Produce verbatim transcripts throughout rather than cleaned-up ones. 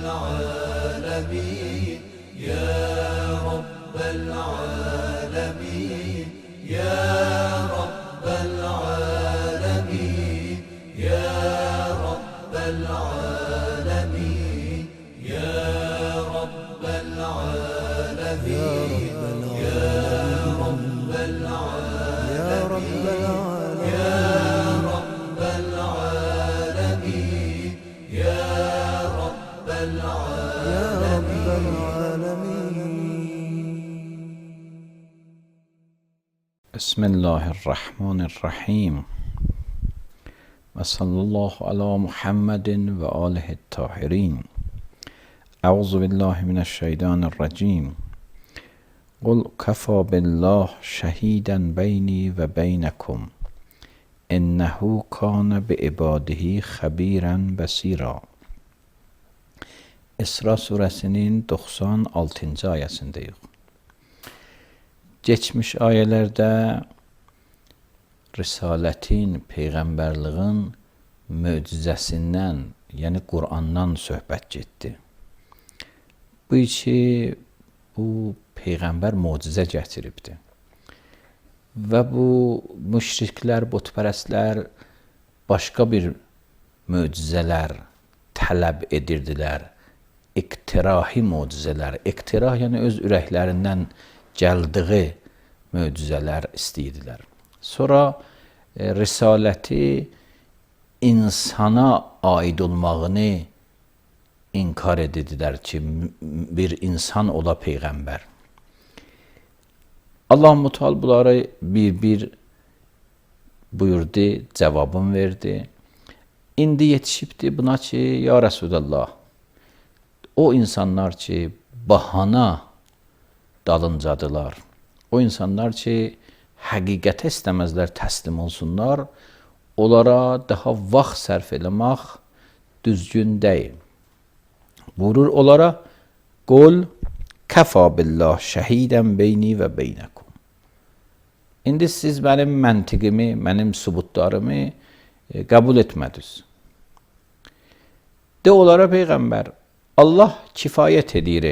العالمين يا رب العالمين يا رب العالمين يا رب العالمين يا رب العالمين يا رب العالمين يا رب العالمين يا رب العالمين. بسم الله الرحمن الرحیم و صلی الله علی محمد و آله الطاهرین. اعوذ بالله من الشیطان الرجیم. قل کفی بالله شهیدا بینی و بینکم انه کان بعباده خبیرا بصیرا. İsra surəsinin doxsan altıncı ayəsindəyik. Geçmiş ayələrdə risalətin, peyğəmbərliğin möcüzəsindən, yəni Qur'andan söhbət getdi. Bu iki, bu peyğəmbər möcüzə gətiribdi. Və bu müşriklər, butpərəstlər başqa bir möcüzələr tələb edirdilər. İqtirahi möcüzələr. İqtirah yəni öz ürəklərindən gəldiyi möcüzələr istəyirdilər. Sonra e, risaləti insana aid olmağını inkar edirdilər ki, bir insan ola peyğəmbər. Allah Müteal bunları bir-bir buyurdu, cavabını verdi. İndi yetişibdi buna ki, ya Resulallah, o insanlar ki, bahana dalıncadılar, o insanlar ki, həqiqətə istəməzlər, təslim olsunlar, onlara daha vaxt sərf eləmək düzgün deyil. Buyurur onlara, qul kəfa billah şəhidən beyni və beynəkum. İndi siz mənim məntiqimi, mənim sübutlarımı e, qəbul etmədiniz. De onlara peyğəmbər, Allah kifayət edir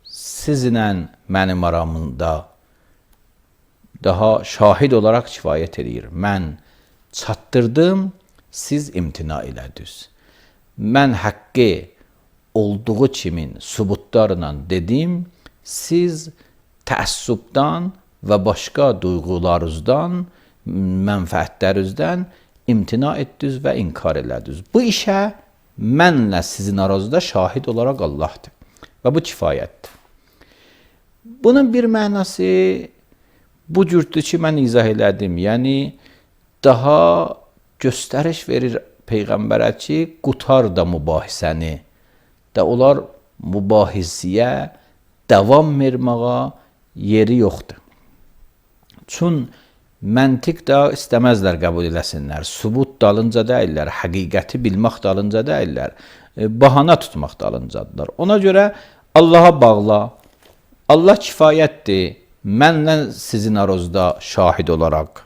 sizinlə mənim aramında, daha şahid olaraq kifayət edir. Mən çatdırdım, siz imtina elədiniz. Mən haqqı olduğu kimin sübutlarla dedim, siz təəssübdən və başqa duyğularınızdan, mənfəətlərinizdən imtina etdiniz və inkar elədiniz. Bu işə mənlə sizin aranızda şahid olaraq Allahdır. Və bu kifayətdir. Bunun bir mənası bu cürdür ki, mən izah elədim. Yəni, daha göstəriş verir Peyğəmbərə ki, qutar da mübahisəni. Da onlar mübahisəyə davam verməyə yeri yoxdur. Çün məntiq da istəməzlər qəbul eləsinlər. Sübut dalınca deyirlər, həqiqəti bilmək dalınca deyirlər, bahana tutmaq dalıncadılar. Ona görə Allaha bağla, Allah kifayətdir, mənlə sizin aranızda şahid olaraq.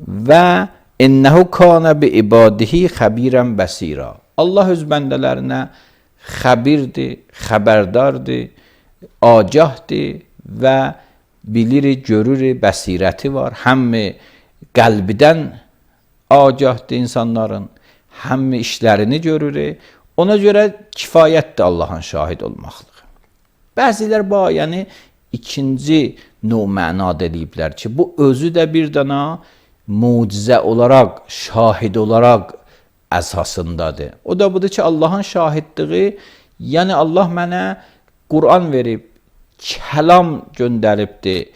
Və innəhu kana bi ibadihi xəbirən bəsira. Allah öz bəndələrinə xəbirdir, xəbərdardır, agahdır və bilir, görür, bəsirəti var. Həmmi qəlbidən agahdır insanların, həmmi işlərini görür. Ona görə kifayətdir Allahın şahid olmaqlığı. Bəzilər bu ayəni ikinci növ mənada eləyiblər ki, bu özü də bir dana mucizə olaraq, şahid olaraq əsasındadır. O da budur ki, Allahın şahidliği, yəni Allah mənə Qur'an verib, kəlam göndəribdir.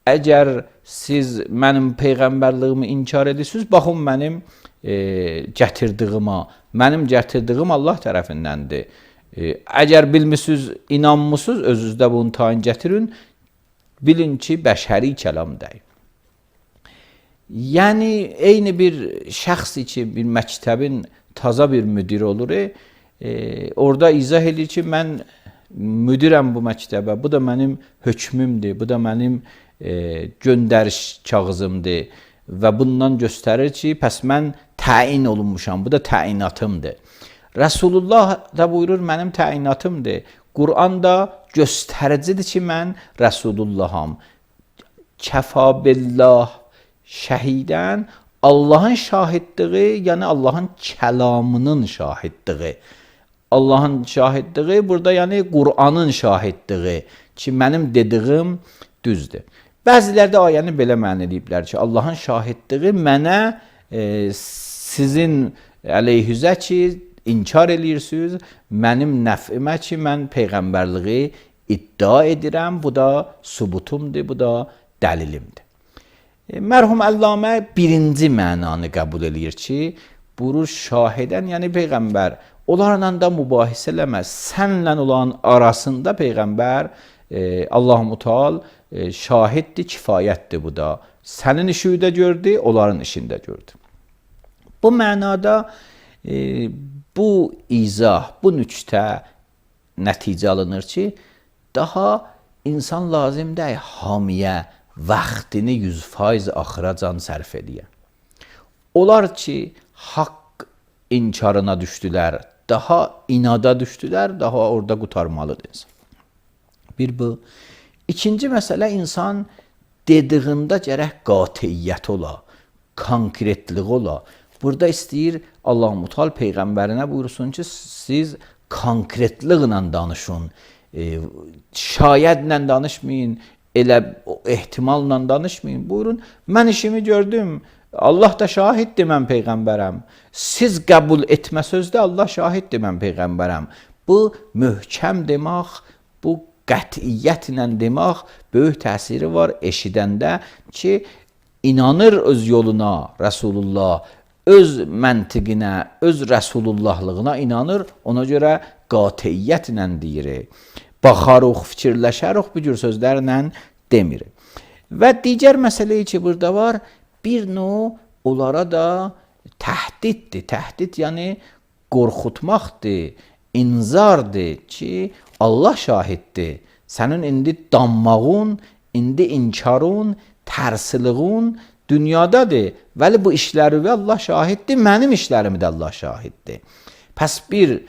Əgər siz mənim peyğəmbərliyimi inkar edirsiniz, baxın mənim e, gətirdiyimə, mənim gətirdiyim Allah tərəfindəndir. E, əgər bilmişsiniz, inanmışsınız, özünüzdə bunu tayin gətirin, bilin ki, bəşəri kəlam deyil. Yəni, eyni bir şəxs ki, bir məktəbin taza bir müdiri olur, e, orada izah edir ki, mən müdirəm bu məktəbə, bu da mənim hökmümdür, bu da mənim e, göndəriş kağızımdır və bundan göstərir ki, pəs mən təyin olunmuşam, bu da təyinatımdır. Rəsulullah da buyurur, mənim təyinatımdır. Quran da göstəricidir ki, mən Rəsulullaham. Kəfa billah şəhidən, Allahın şahidliği, yəni Allahın kəlamının şahidliği. Allahın şahidliği burada, yəni Quranın şahidliği ki, mənim dediyim düzdür. Bəziləri də ayəni belə məna ediblər ki, Allahın şahidliği mənə e, sizin əleyhüzə ki, inkar eləyirsiniz, mənim nəfimə ki, mən peyğəmbərliği iddia edirəm, bu da subutumdur, bu da dəlilimdir. E, mərhum Əllamə birinci mənanı qəbul eləyir ki, buyurur şahidən, yəni peyğəmbər, onlarla da mübahisə eləməz. Sənlə olan arasında peyğəmbər e, Allah-u Teala e, şahiddir, kifayətdir bu da. Sənin işini də gördü, onların işini də gördü. Bu mənada e, bu izah, bu nüktə nəticə alınır ki, daha insan lazımdır hamiyə vaxtını yüz faiz axıra can sərf ediyə. Onlar ki, haqq inkarına düşdülər, daha inada düşdülər, daha orada qutarmalıdır insan. Bir bu. İkinci məsələ, insan dediyində gərək qatiyyət ola, konkretlik ola. Burada istəyir Allah-u Teala peyğəmbərinə buyursun ki, siz konkretliklə danışın, e, şayədlə danışmayın, elə ehtimalla danışmayın. Buyurun, mən işimi gördüm, Allah da şahiddir, mən peyğəmbərəm. Siz qəbul etmə sözdə Allah şahiddir, mən peyğəmbərəm. Bu möhkəm demək, bu qətiyyətlə demək böyük təsiri var eşidəndə ki, inanır öz yoluna Rəsulullah, öz məntiqinə, öz Rəsulullahlığına inanır, ona görə qatiyyətlə deyir. Baxarıq, fikirləşərik, bu cür sözlərlə demir. Və digər məsələyi ki, burada var, bir növ onlara da təhdiddir. Təhdid yəni qorxutmaqdır, inzardır ki, Allah şahiddir. Sənin indi danmağın, indi inkarın, tərsiliğin dünyadadır. Vəli bu işləri və Allah şahiddir, mənim işlərimi də Allah şahiddir. Pəs bir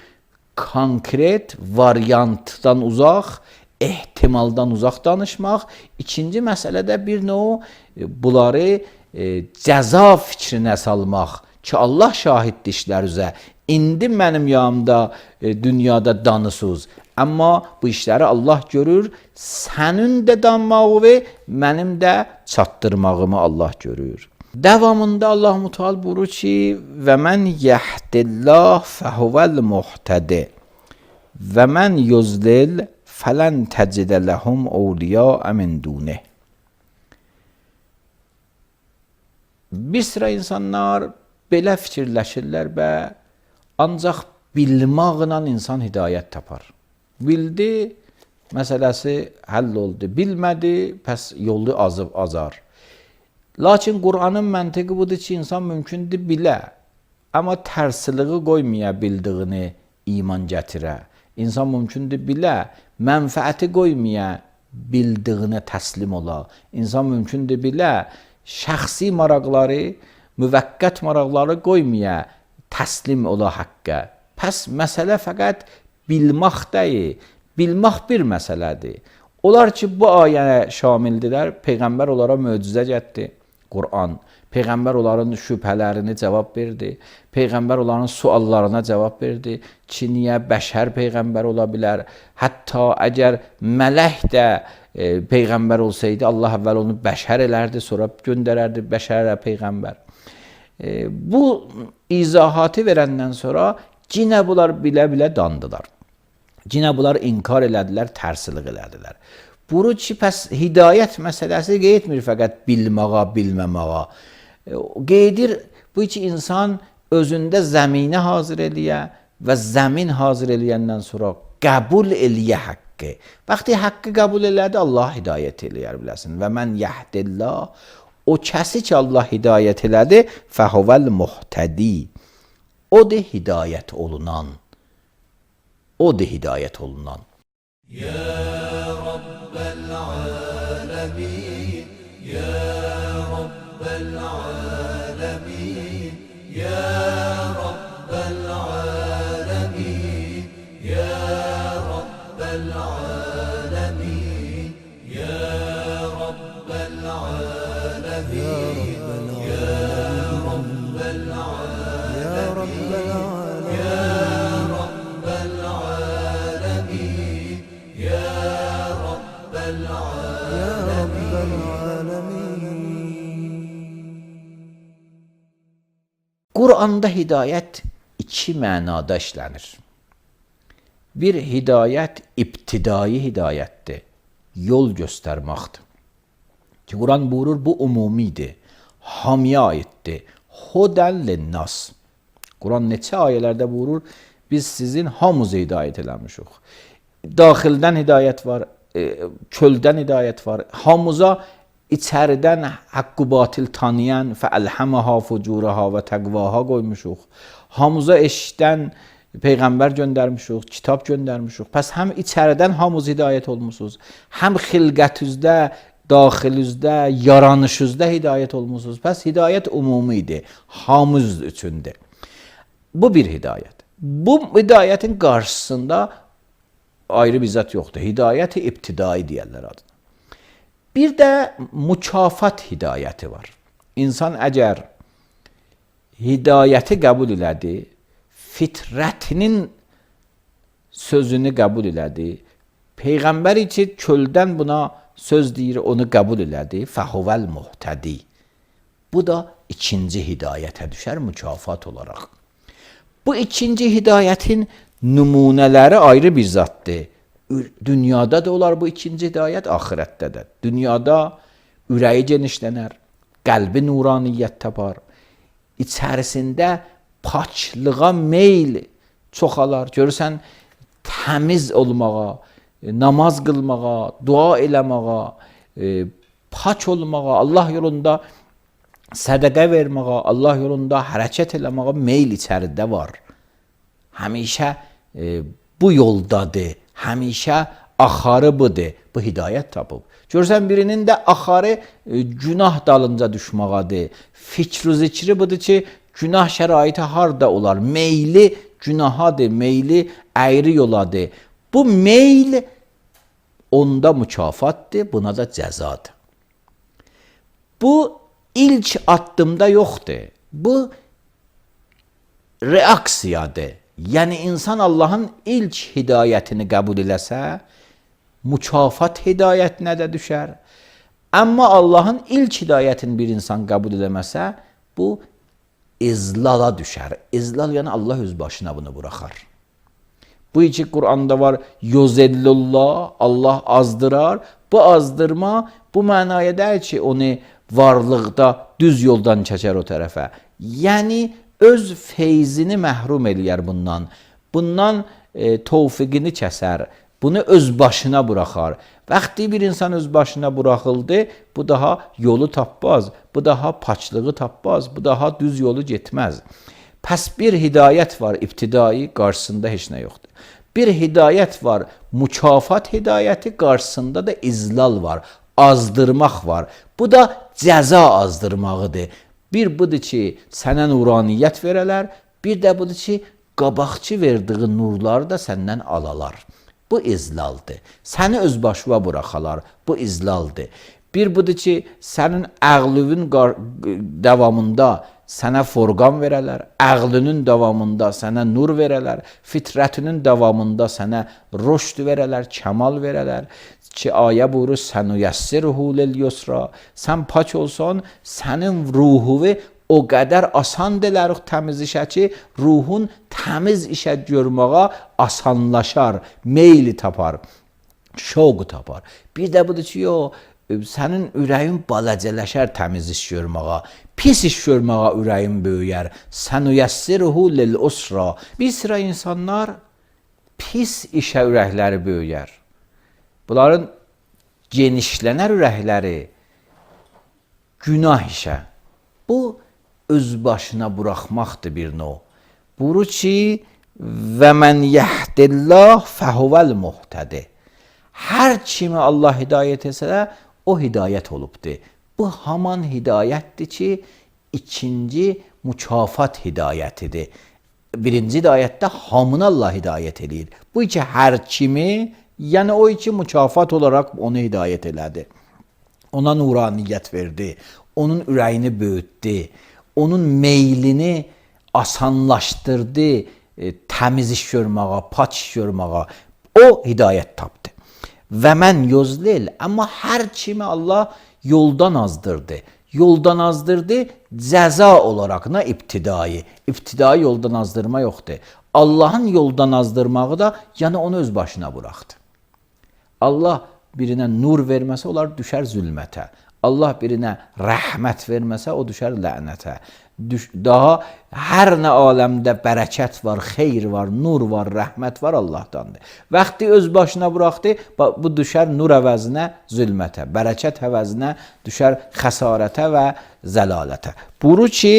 konkret variantdan uzaq, ehtimaldan uzaq danışmaq. İkinci məsələdə bir növ bunları e, cəza fikrinə salmaq ki, Allah şahiddir işlər üzə. İndi mənim yanımda e, dünyada danısız. Amma bu işləri Allah görür. Sənin də danmağı və mənim də çatdırmağımı Allah görür. Davamında Allah-u Teala buyurur ki, və mən yahdillah fəhuvəl muhtədi və mən yuzlil fələn təcdə ləhum awliya min dunih. Bir sıra insanlar belə fikirləşirlər və ancaq bilmaqla insan hidayət tapar. Bildi, məsələsi həll oldu. Bilmədi, pəs yolu azıb azar. Lakin Qur'anın məntiqi budur ki, insan mümkündür bilə, amma tərsiliği qoymaya bildiyini iman gətirə. İnsan mümkündür bilə, mənfəəti qoymaya bildiyini təslim ola. İnsan mümkündür bilə, şəxsi maraqları, müvəqqət maraqları qoymaya təslim ola haqqə. Pəs məsələ fəqət bilmək deyil, bilmək bir məsələdir. Onlar ki, bu ayəyə şamildilər, Peyğəmbər onlara möcüzə getdi, Qur'an. Peyğəmbər onların şübhələrini cavab verdi. Peyğəmbər onların suallarına cavab verdi. Ki, niyə bəşər Peyğəmbər ola bilər? Hətta əgər mələk də e, Peyğəmbər olsaydı, Allah əvvəl onu bəşər elərdi, sonra göndərərdi bəşərə Peyğəmbər. E, bu izahatı verəndən sonra cinə bunlar bilə-bilə dandılar. Cinə bunlar inkar elədilər, tərsilik elədilər. Buru ki, pəs hidayət məsələsi qeydmir fəqət bilməğa, bilməməğa. Qeydir bu ki, insan özündə zəminə hazır eləyə və zəmin hazır eləyəndən sonra qəbul eləyə haqqı. Vaxtı haqqı qəbul elədi, Allah hidayət eləyər biləsin. Və mən yahdillah, o kəsi ki, Allah hidayət elədi, fəhuvəl muhtədi. O da hidayət olunan. O da hidayət olunan. Ya Rabbel alemin, Ya Rabbel alemin, Ya Rabbel alemin. Quranda hidayət iki mənada işlənir. Bir hidayət ibtidai hidayətdir, yol göstərməkdir. Ki Quran buyurur, bu umumidir, hamıya aiddir. Hudən linnas. Quran neçə ayələrdə buyurur, biz sizin hamınızı hidayət eləmişik. Daxildən hidayət var, çöldən hidayət var. Hamıza içəridən haqqı batil tanıyan fəəlhəməha fucuraha və təqvaha qoymuşuq. Hamıza eşdən Peyğəmbər göndərmişik, kitab göndərmişik. Pəs həm içəridən hamınız hidayət olmusunuz, həm xilqətüzdə, daxilüzdə, yaranışızda hidayət olmusunuz. Pəs hidayət umumidir, hamımız üçündür. Bu bir hidayət. Bu hidayətin qarşısında ayrı bir zat yoxdur. Hidayət-i ibtidai deyərlər adına. Bir də mükafat hidayəti var. İnsan əgər hidayəti qəbul elədi, fitrətinin sözünü qəbul elədi, Peyğəmbər ki çöldən buna söz deyir, onu qəbul elədi, fəhuvəl muhtədi. Bu da ikinci hidayətə düşər mükafat olaraq. Bu ikinci hidayətin nümunələri ayrı bir zatdır. Dünyada da olar bu ikinci hidayət, axirətdə də. Dünyada ürəyi genişlənər, qəlbi nuraniyyət tapar, içərisində paçlığa meyl çoxalar. Görürsən, təmiz olmağa, namaz qılmağa, dua eləməğa, e, paç olmağa, Allah yolunda sədəqə verməğa, Allah yolunda hərəkət eləməğa meyl içəridə var. Həmişə e, bu yoldadır, həmişə axarı budur, bu hidayət tapıb. Görürsən, birinin də axarı e, günah dalınca düşmağadır. Fikr-i zikri budur ki, günah şəraiti harda olar? Meyli günahadır, meyli əyri yoladır. Bu meyl onda mükafatdır, buna da cəzadır. Bu ilk addımda yoxdur. Bu reaksiyadır. Yəni insan Allahın ilk hidayətini qəbul eləsə, mükafat hidayətinə də düşər. Amma Allahın ilk hidayətini bir insan qəbul eləməsə, bu izlala düşər. İzlal yəni Allah öz başına bunu buraxar. Bu iki Quranda var, yuzellullah, Allah azdırar. Bu azdırma bu mənaya deyil ki, onu varlıqda düz yoldan çəkər o tərəfə. Yəni öz feyzini məhrum eləyər bundan. Bundan e, tövfiqini kəsər. Bunu öz başına buraxar. Vaxtı bir insan öz başına buraxıldı, bu daha yolu tapmaz, bu daha paçlığı tapmaz, bu daha düz yolu getməz. Pəs bir hidayət var, ibtidai, qarşısında heç nə yoxdur. Bir hidayət var, mükafat hidayəti, qarşısında da izlal var, azdırmaq var. Bu da cəza azdırmağıdır. Bir budur ki, sənə nuraniyyət verələr, bir də budur ki, qabaqçı verdiği nurları da səndən alalar. Bu izlaldır. Səni öz başına buraxalar, bu izlaldır. Bir budur ki, sənin əqlüvün davamında sənə forqan verələr, əqlünün davamında sənə nur verələr, fitrətinin davamında sənə rüşd verələr, kəmal verələr. Ki, ayə buyurur, sənüyəssirhu lil-yusra. Sən paç olsan, sənin ruhuvi o qədər asan delərik təmiz işə ki, ruhun təmiz işə görməyə asanlaşar, meyli tapar, şovqu tapar. Bir də budur ki, yo, sənin ürəyin balacələşər təmiz iş görməyə, pis iş görməyə ürəyin böyüyər. Sənüyəssirhu lil-usra. Bir sıra insanlar pis işə ürəkləri böyüyər. Bunların genişlənər ürəkləri günah işə. Bu, öz başına buraxmaqdır bir növ. Buyurur ki, və mən yəhdillah fəhuvəl muhtədi. Hər kimi Allah hidayət etsə, o hidayət olubdur. Bu haman hidayətdir ki, ikinci mükafat hidayətidir. Birinci hidayətdə hamını Allah hidayət edir. Bu iki hər kimi, yəni o iki mükafat olaraq onu hidayət elədi. Ona nuraniyyət verdi, onun ürəyini böyütdü, onun meylini asanlaşdırdı, e, təmiz iş görməyə, paç iş görməyə. O hidayət tapdı. Və mən yuzlil, amma hər kimi Allah yoldan azdırdı. yoldan azdırdı, cəza olarak ne iptidai. İptidai yoldan azdırma yoxdur. Allah'ın yoldan azdırmağı da yani onu öz başına bıraktı. Allah birine nur verməsə, onlar düşər zülmətə. Allah birine rəhmət verməsə, o düşər lənətə. Düş daha hər nə aləmdə bərəkət var, xeyr var, nur var, rəhmət var Allahdandır. Vaxtı öz başına bıraxdı, bu düşər nur əvəzinə zülmətə, bərəkət əvəzinə düşər xəsarətə və zəlalətə. Buyurur ki,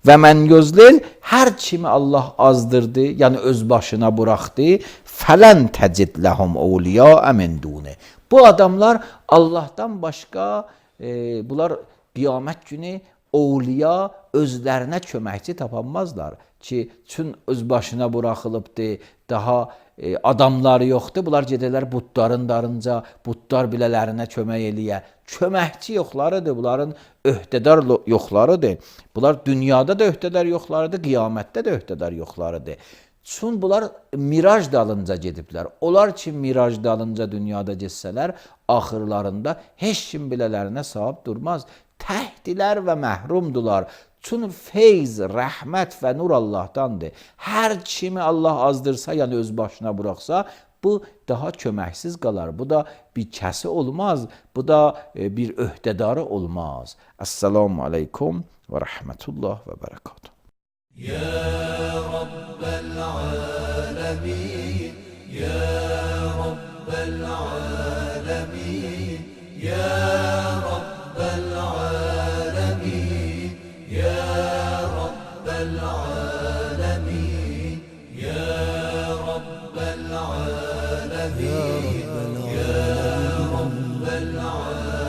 və mən gözləyil, hər kimi Allah azdırdı, yəni öz başına bıraxdı, fələn təcid ləhum awliya min duni. Bu adamlar Allah'tan başqa, e, bunlar qiyamət günü Ovliya özlərinə köməkçi tapanmazlar ki, çün öz başına buraxılıbdır, daha e, adamları yoxdur. Bunlar gedərlər butların darınca, butlar bilələrinə kömək eləyə. Köməkçi yoxlarıdır, bunların öhdədar yoxlarıdır. Bunlar dünyada da öhdədar yoxlarıdır, qiyamətdə də öhdədar yoxlarıdır. Çün bunlar miraj dalınca gediblər. Onlar ki, miraj dalınca dünyada getsələr, axırlarında heç kim bilələrinə sahib durmaz. Təhdilər və məhrumdular. Çün feyz, rəhmət və nur Allahdandır. Hər kimi Allah azdırsa, yəni öz başına bıraxsa, bu daha köməksiz qalar. Bu da bir kəsi olmaz. Bu da e, bir öhdədarı olmaz. Esselamu aleykum və rəhmətullah və bərəkatuhu. Ya Rabbel alemin, Ya Rabbel alemin, Ya Rabbel alemin, Ya Rabbel alemin, Ya Rabbel alemin, Ya Rabbel alemin.